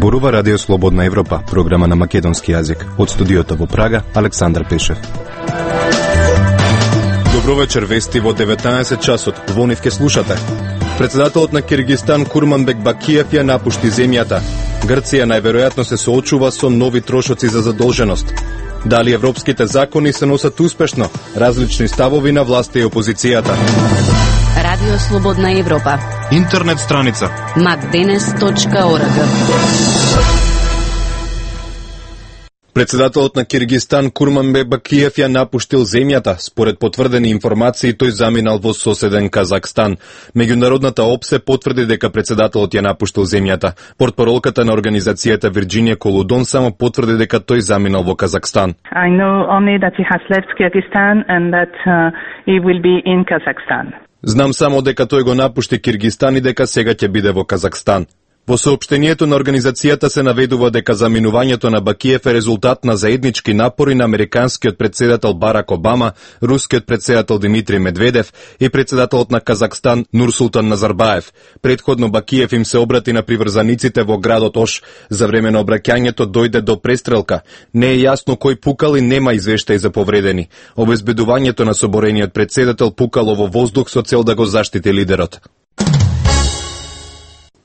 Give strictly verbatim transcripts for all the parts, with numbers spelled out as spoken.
Зборува Радио Слободна Европа, програма на македонски јазик. Од студиото во Прага, Александар Пешев. Добро вечер, вести во деветнаесет часот. Во нив ке слушате. Председателот на Киргистан Курманбек Бакиев ја напушти земјата. Грција најверојатно се соочува со нови трошоци за задолженост. Дали европските закони се носат успешно? Различни ставови на власта и опозицијата. Радио Слободна Европа. Интернет страница макденес точка орг. Председателот на Киргистан Курманбек Бакиев ја напуштил земјата. Според потврдени информации, тој заминал во соседен Казахстан. Меѓународната ОПСЕ потврди дека председателот ја напуштил земјата. Портпаролката на организацијата Вирџинија Колудон само потврди дека тој заминал во Казахстан. I know only that he has left Kyrgyzstan and that uh, he will be in Kazakhstan. Знам само дека тој го напушти Киргистан и дека сега ќе биде во Казахстан. Во соопштението на организацијата се наведува дека заминувањето на Бакиев е резултат на заеднички напори на американскиот председател Барак Обама, рускиот председател Димитри Медведев и председателот на Казахстан Нурсултан Назарбаев. Предходно Бакиев им се обрати на приврзаниците во градот Ош. За време на обраќањето дојде до престрелка. Не е јасно кој пукал и нема извештаи за повредени. Обезбедувањето на соборениот председател пукало во воздух со цел да го заштити лидерот.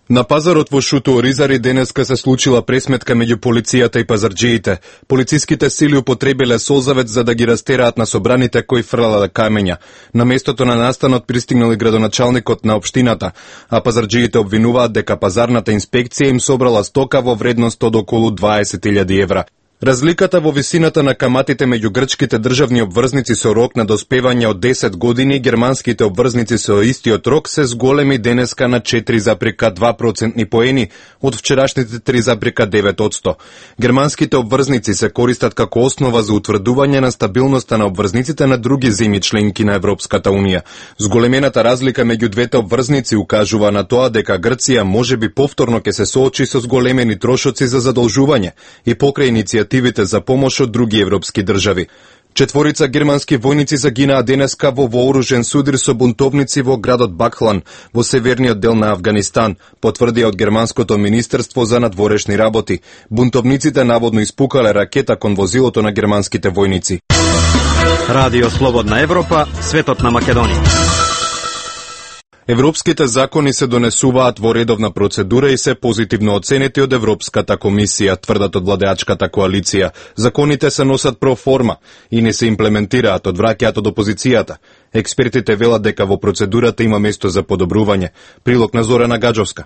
На пазарот во Шуто Оризари денеска се случила пресметка меѓу полицијата и пазарџиите. Полициските сили употребиле солзавец за да ги растераат на собраните кои фрлале камења. На местото на настанот пристигнал и градоначалникот на општината, а пазарџиите обвинуваат дека пазарната инспекција им собрала стока во вредност од околу дваесет илјади евра. Разликата во висината на каматите меѓу грчките државни обврзници со рок на доспевање од десет години и германските обврзници со истиот рок се зголеми денеска на четири зарез два процентни поени од вчерашните три зарез девет одсто. Германските обврзници се користат како основа за утврдување на стабилноста на обврзниците на други земји членки на Европската унија. Зголемената разлика меѓу двете обврзници укажува на тоа дека Грција можеби повторно ќе се соочи со зголемени трошоци за задолжување и покрај иницијативите за помош од други европски држави. Четворица германски војници загинаа денеска во вооружен судар со бунтовници во градот Бакхлан, во северниот дел на Авганистан, потврдија од германското министерство за надворешни работи. Бунтовниците наводно испукале ракета кон возилото на германските војници. Радио Слободна Европа, светот на Македонија. Европските закони се донесуваат во редовна процедура и се позитивно оценети од Европската комисија, тврдат од владеачката коалиција. Законите се носат проформа и не се имплементираат, одвраќаат од опозицијата. Експертите велат дека во процедурата има место за подобрување. Прилог на Зорана Гаджовска.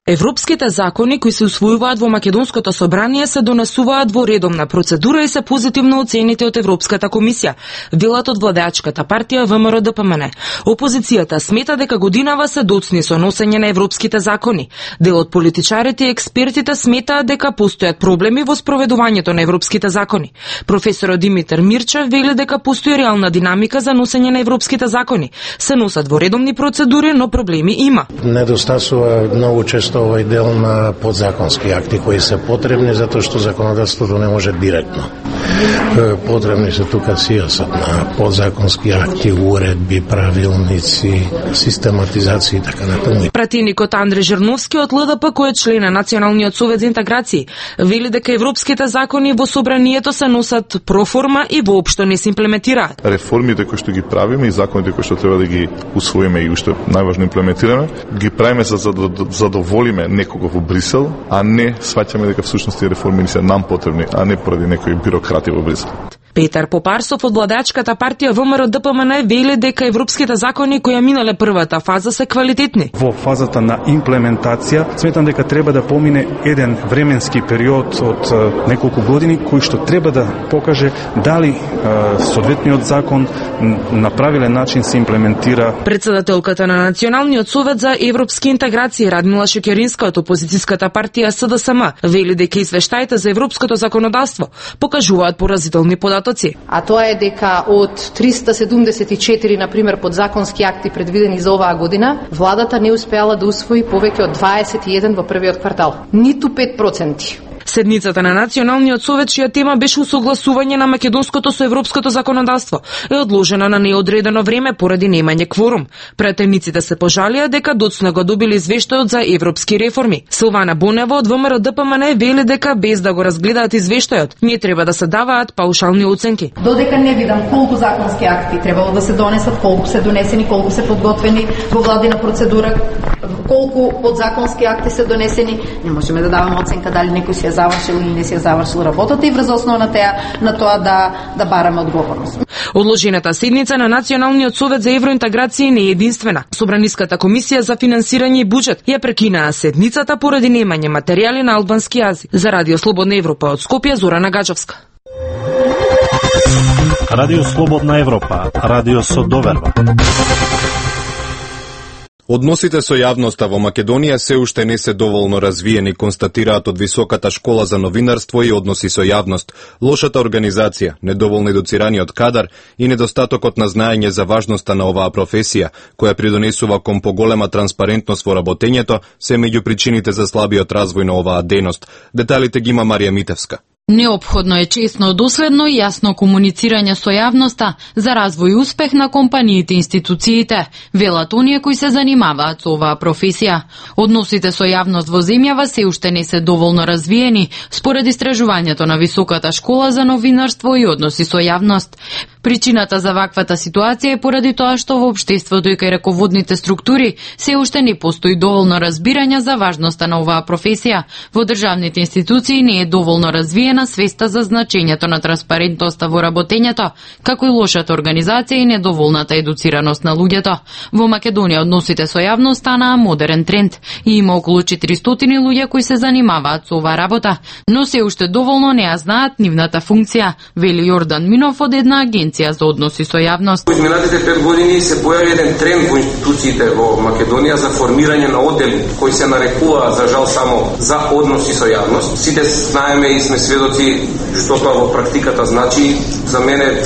Европските закони кои се усвојуваат во Македонското собрание се донесуваат во редовна процедура и се позитивно оценети од Европската комисија, велат од владеачката партија ВМРО Д П М Н. Опозицијата смета дека годинава се доцни со носење на европските закони. Дел од политичарите и експертите сметаат дека постојат проблеми во спроведувањето на европските закони. Професорот Димитар Мирчев вели дека постои реална динамика за носење на европските закони. Се носат во редовни процедури, но проблеми има. Недостасува многу често овој дел на подзаконски акти кои се потребни затоа што законодавството не може директно. Потребни се тука сијасот на подзаконски акти, уредби, правилници, систематизација и така натаму. Пратеникот Андре Жерновски од Л Д П, кој е член на Националниот совет за интеграција, вели дека европските закони во собранието се носат проформа и воопшто не се имплементираат. Реформите кои што ги правиме и законите кои што треба да ги усвоиме и уште најважно имплементираме, ги правиме за да задоволиме некого во Брисел, а не сваќаме дека всушност тие реформи се нам потребни, а не поради некои бюрократи во Брисел. Петар Попарсов од владеачката партија ВМРО Д П М Н вели дека европските закони кои ја минале првата фаза се квалитетни. Во фазата на имплементација сметам дека треба да помине еден временски период од неколку години кој што треба да покаже дали е, соодветниот закон на правилен начин се имплементира. Председателката на Националниот совет за европски интеграција Радмила Шекеринска од опозицијската партија С Д С М вели дека извештаите за европското законодавство покажуваат поразителни податоци. А тоа е дека од триста седумдесет и четири, например, подзаконски акти предвидени за оваа година, владата не успеала да усвои повеќе од дваесет и еден во првиот квартал. Ниту пет проценти. Седницата на Националниот совет, чија тема беше усогласување на македонското со европското законодавство, е одложена на неодредено време поради немање кворум. Претемниците се пожалија дека доцна го добили извештајот за европски реформи. Силвана Бонева од ВМРО Д П М Н вели дека без да го разгледаат извештајот, не треба да се даваат паушални оценки. Додека не видам колку законски акти требало да се донесат, колку се донесени, колку се подготвени во владина процедура, колку подзаконски акти се донесени, не можеме да даваме оценка дали некој си ја завршил или не си ја завршил работата и врз основа на теа на тоа да да бараме одговорност. Одложената седница на Националниот совет за евроинтеграција не е единствена. Собраниската комисија за финансирање и буџет ја прекинаа седницата поради немање материјали на албански јазик. За Радио Слободна Европа од Скопје, Зорана Гаджовска. Радио Слободна Европа, радио со доверба. Односите со јавноста во Македонија се уште не се доволно развиени, констатираат од Високата школа за новинарство и односи со јавност. Лошата организација, недоволно едуцираниот кадар и недостатокот на знаење за важноста на оваа професија, која придонесува кон поголема транспарентност во работењето, се меѓу причините за слабиот развој на оваа дејност. Деталите ги има Марија Митевска. Неопходно е чесно, доследно и јасно комуницирање со јавноста за развој и успех на компаниите и институциите, велат оние кои се занимаваат со оваа професија. Односите со јавност во земјава се уште не се доволно развиени, според истражувањето на Високата школа за новинарство и односи со јавност. Причината за ваквата ситуација е поради тоа што во општеството и кај раководните структури се уште не постои доволно разбирање за важноста на оваа професија. Во државните институции не е доволно развиена свеста за значењето на транспарентноста во работењето, како и лошата организација и недоволната едуцираност на луѓето. Во Македонија односите со јавност станаа модерен тренд и има околу четиристотини луѓе кои се занимаваат со оваа работа, но се уште доволно не ја знаат нивната функција, вели Јордан Минов од една агенција за односи со јавност. Во изминатите пет години се појави еден тренд во институциите во Македонија за формирање на оддели кои се нарекуваат за жал само за односи со јавност. Сите знаеме и сме сведоци што тоа во практиката значи. За мене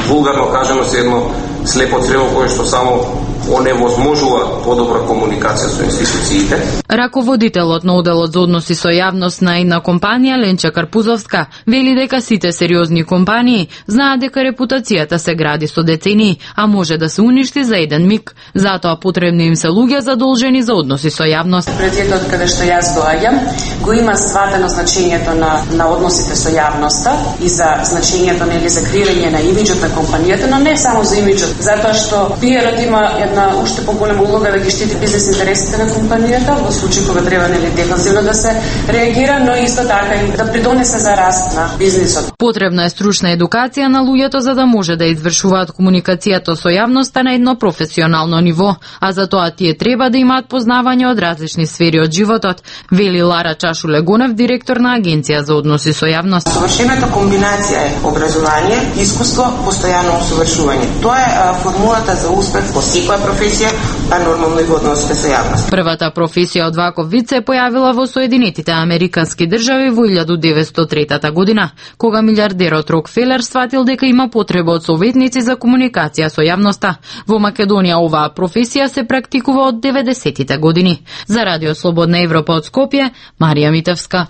вулгарно кажано се едно слепо црево кое што само оневозможува подобра комуникација со институциите. Раководителот на оделот за односи со јавност на една компанија, Ленча Карпузовска, вели дека сите сериозни компании знаат дека репутацијата се гради со децении, а може да се уништи за еден миг. Затоа потребни им се луѓе задолжени за односи со јавност. Предметот каде што јас доаѓам го има сватено значењето на на односите со јавноста и за значењето нели за креирање на имиџот на компанијата, но не само за имиџот, затоа што пиерот има на уште поголема улога да ги штити бизнес интересите на компанијата во случај кога треба нели дефанзивно да се реагира, но исто така и да придонесе за раст на бизнисот. Потребна е стручна едукација на луѓето за да може да извршуваат комуникацијата со јавноста на едно професионално ниво, а за тоа тие треба да имаат познавање од различни сфери од животот, вели Лара Чашу-Легонев, директор на Агенција за односи со јавност. Совршената комбинација е образование, искуство, постојано усовршување. Тоа е формулата за успех во секоја професија, а нормално и во односите со јавност. Првата професија од ваков вид се појавила во Соединетите Американски држави во илјадум деветстотини и трета година, кога милиардерот Рокфелер сватил дека има потреба од советници за комуникација со јавноста. Во Македонија оваа професија се практикува од деветдесетите години. За Радио Слободна Европа од Скопје, Марија Митевска.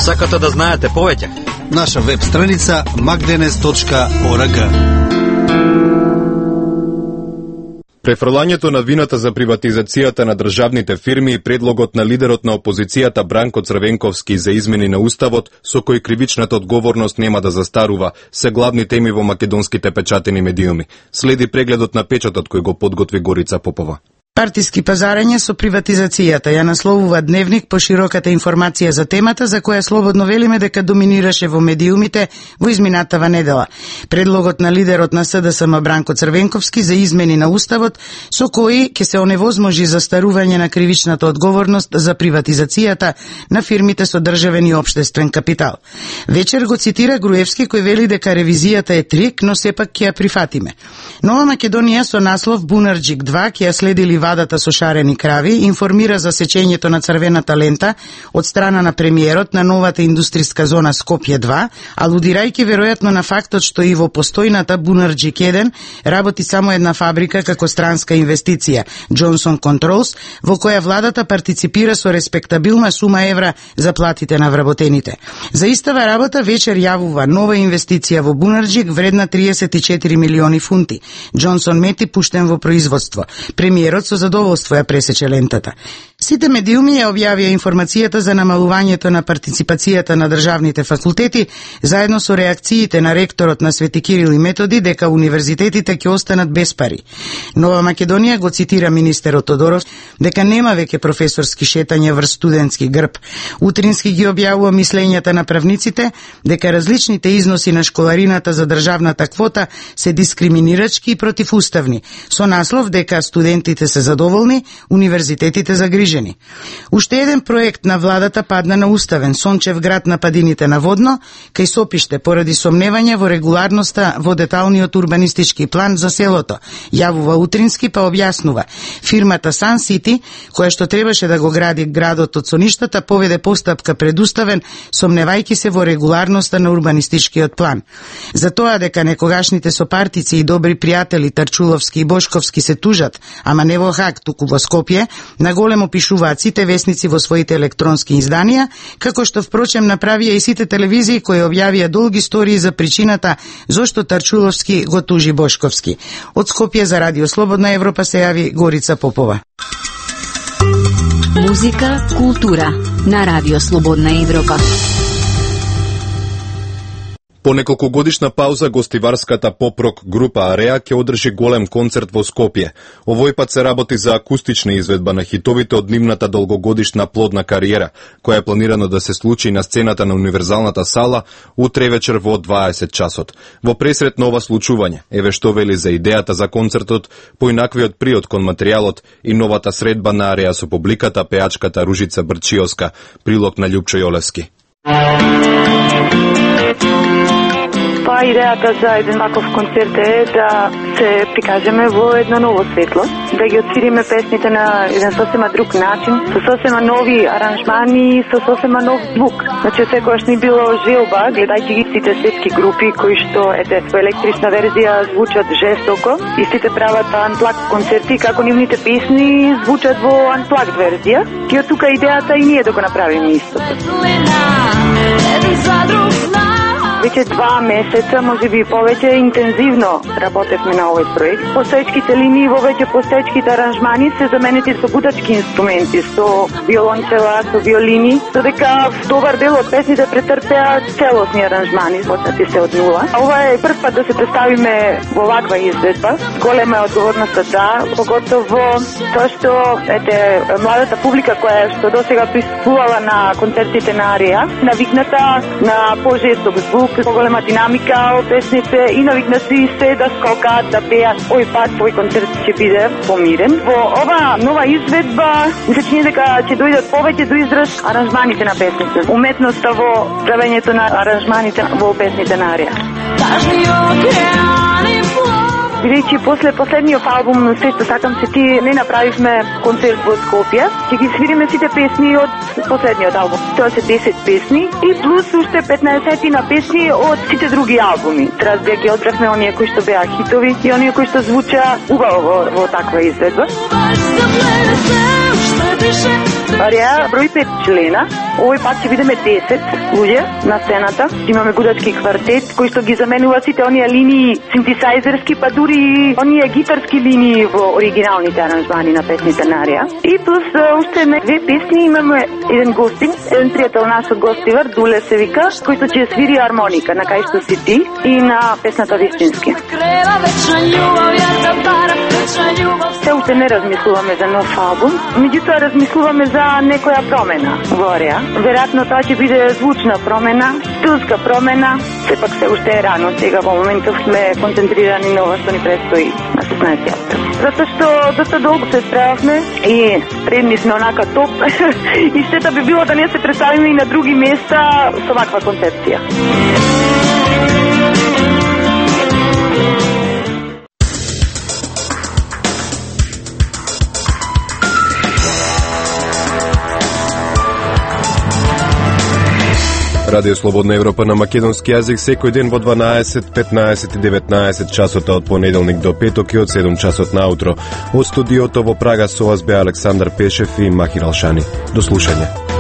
Сакате да знаете повеќе? Наша веб страница макденес точка орг. Префрлањето на вината за приватизацијата на државните фирми и предлогот на лидерот на опозицијата Бранко Црвенковски за измени на уставот, со кој кривичната одговорност нема да застарува, се главни теми во македонските печатени медиуми. Следи прегледот на печатот кој го подготви Горица Попова. Партиски пазарење со приватизацијата ја насловува Дневник по широката информација за темата, за која слободно велиме дека доминираше во медиумите во изминатава недела. Предлогот на лидерот на С Д С М Бранко Црвенковски за измени на уставот, со кој ќе се оневозможи застарување на кривичната одговорност за приватизацијата на фирмите со државен и општествен капитал. Вечер го цитира Груевски, кој вели дека ревизијата е трик, но сепак ќе ја прифатиме. Нова Македонија со наслов Бунарџик два ќе ја следи ливадата со шарени крави, информира за сечењето на црвената лента од страна на премиерот на новата индустријска зона Скопје два, алудирајќи веројатно на фактот што и во постојната Бунарџик еден работи само една фабрика како странска инвестиција, Johnson Controls, во која владата партиципира со респектабилна сума евра за платите на вработените. За истава работа вечер јавува нова инвестиција во Бунарџик вредна триесет и четири милиони фунти. Джонсон Мети пуштен во производство. Премиерот со задоволство ја пресече лентата. Сите медиуми ја објавија информацијата за намалувањето на партиципацијата на државните факултети, заедно со реакциите на ректорот на Свети Кирил и Методи дека универзитетите ќе останат без пари. Нова Македонија го цитира министерот Тодоров дека нема веќе професорски шетања врз студентски грб. Утрински ги објавува мислењата на правниците дека различните износи на школарината за државната квота се дискриминирачки и противуставни, со наслов дека студентите се задоволни, универзитетите загрижени. Уште еден проект на владата падна на уставен, Сончев град на падините на Водно, кај Сопиште поради сомневања во регуларноста во деталниот урбанистички план за селото. Јавува Утрински па објаснува. Фирмата Sun City, која што требаше да го гради градот од соништата, поведе постапка пред уставен, сомневајќи се во регуларноста на урбанистичкиот план. За тоа дека некогашните сопартици и добри пријатели Тарчуловски и Бошковски се тужат, ама не во Хаг, туку во Скопје, наголемо пишуваат сите весници во своите електронски изданија, како што впрочем направија и сите телевизии кои објавија долги истории за причината зошто Тарчуловски го тужи Бошковски. Од Скопје за Радио Слободна Европа се јави Горица Попова. Музика, култура на Радио Слободна Европа. По неколкогодишна пауза гостиварската поп-рок група Ареа ќе одржи голем концерт во Скопје. Овој пат се работи за акустична изведба на хитовите од нивната долгогодишна плодна кариера, која е планирано да се случи на сцената на Универзалната сала утре вечер во дваесет часот. Во пресрет на ова случување, еве што вели за идејата за концертот, поинаквиот приод кон материјалот и новата средба на Ареа со публиката пеачката Ружица Брчиовска, прилог на Љупчо Јолевски. Па идејата за еден ваков концерт е да се прикажеме во едно ново светло, да ги отсвириме песните на еден сосема друг начин, со сосема нови аранжмани, со сосема нов звук. Значи секогаш ни било желба, гледајќи ги сите светски групи кои што ете во електрична верзија звучат жестоко и сите прават анплаг концерти, како нивните песни звучат во анплаг верзија. И од тука идејата и ние да го направиме истото. Веќе два месеца, може би повеќе, интензивно работевме на овој проект. Постоечките линии во веќе постоечките аранжмани се заменети со гутачки инструменти, со виолончела, со виолини, додека добар дел од песните претрпеа целосни аранжмани, почнати се од нула. Ова е прв пат да се представиме во ваква изведба. Голема е одговорноста, да, поготово тоа што ете младата публика која што досега присуствувала на концертите на Ареа, навикната на пожесток звук, поголема динамика од песните и навикнати се да скокаат, да пеат. Овој пат овој концерт ќе биде помирен. Во ова нова изведба ми се чини дека ќе дојдат повеќе до израз аранжманите на песните. Уметноста во правењето на аранжманите во песните на Ареа. Бидејќи после последниот албум Се што сакам се ти не направивме концерт во Скопје, ќе ги свириме сите песни од последниот албум. Тоа се десет песни и плюс уште петнаесет на песни од сите други албуми. Трас да ги одбравме оние кои што беа хитови и оние кои што звуча убаво во, во таква изведба. Ареа број пет члена. Овој пат ќе бидеме десет луѓе на сцената. Имаме гудачки квартет кој што ги заменува сите оние линии синтесајзерски, па дури и оние гитарски линии во оригиналните аранжмани на песните на Ареа. И плюс уште на две песни имаме еден гостин, еден пријател наш од гостивар, Дуле се вика, кој што ќе свири армоника на Кај што си ти и на песната Вистински. Се уште не размислуваме за нов албум, меѓутоа размислуваме за некоја промена во Ареа. Веројатно тоа ќе биде звучна промена, стилска промена, сепак се уште е рано, сега во моментов сме концентрирани на ова што ни предстои на шеснаесети април. Затоа што доста долго се справавме и спремни сме онака топ и штета би било да не се представиме и на други места со ваква концепција. Радио Слободна Европа на македонски јазик секој ден во дванаесет, петнаесет и деветнаесет часот од понеделник до петок и од седум часот наутро. Од студиото во Прага со вас бе Александар Пешев и Махир Алшани. До слушање.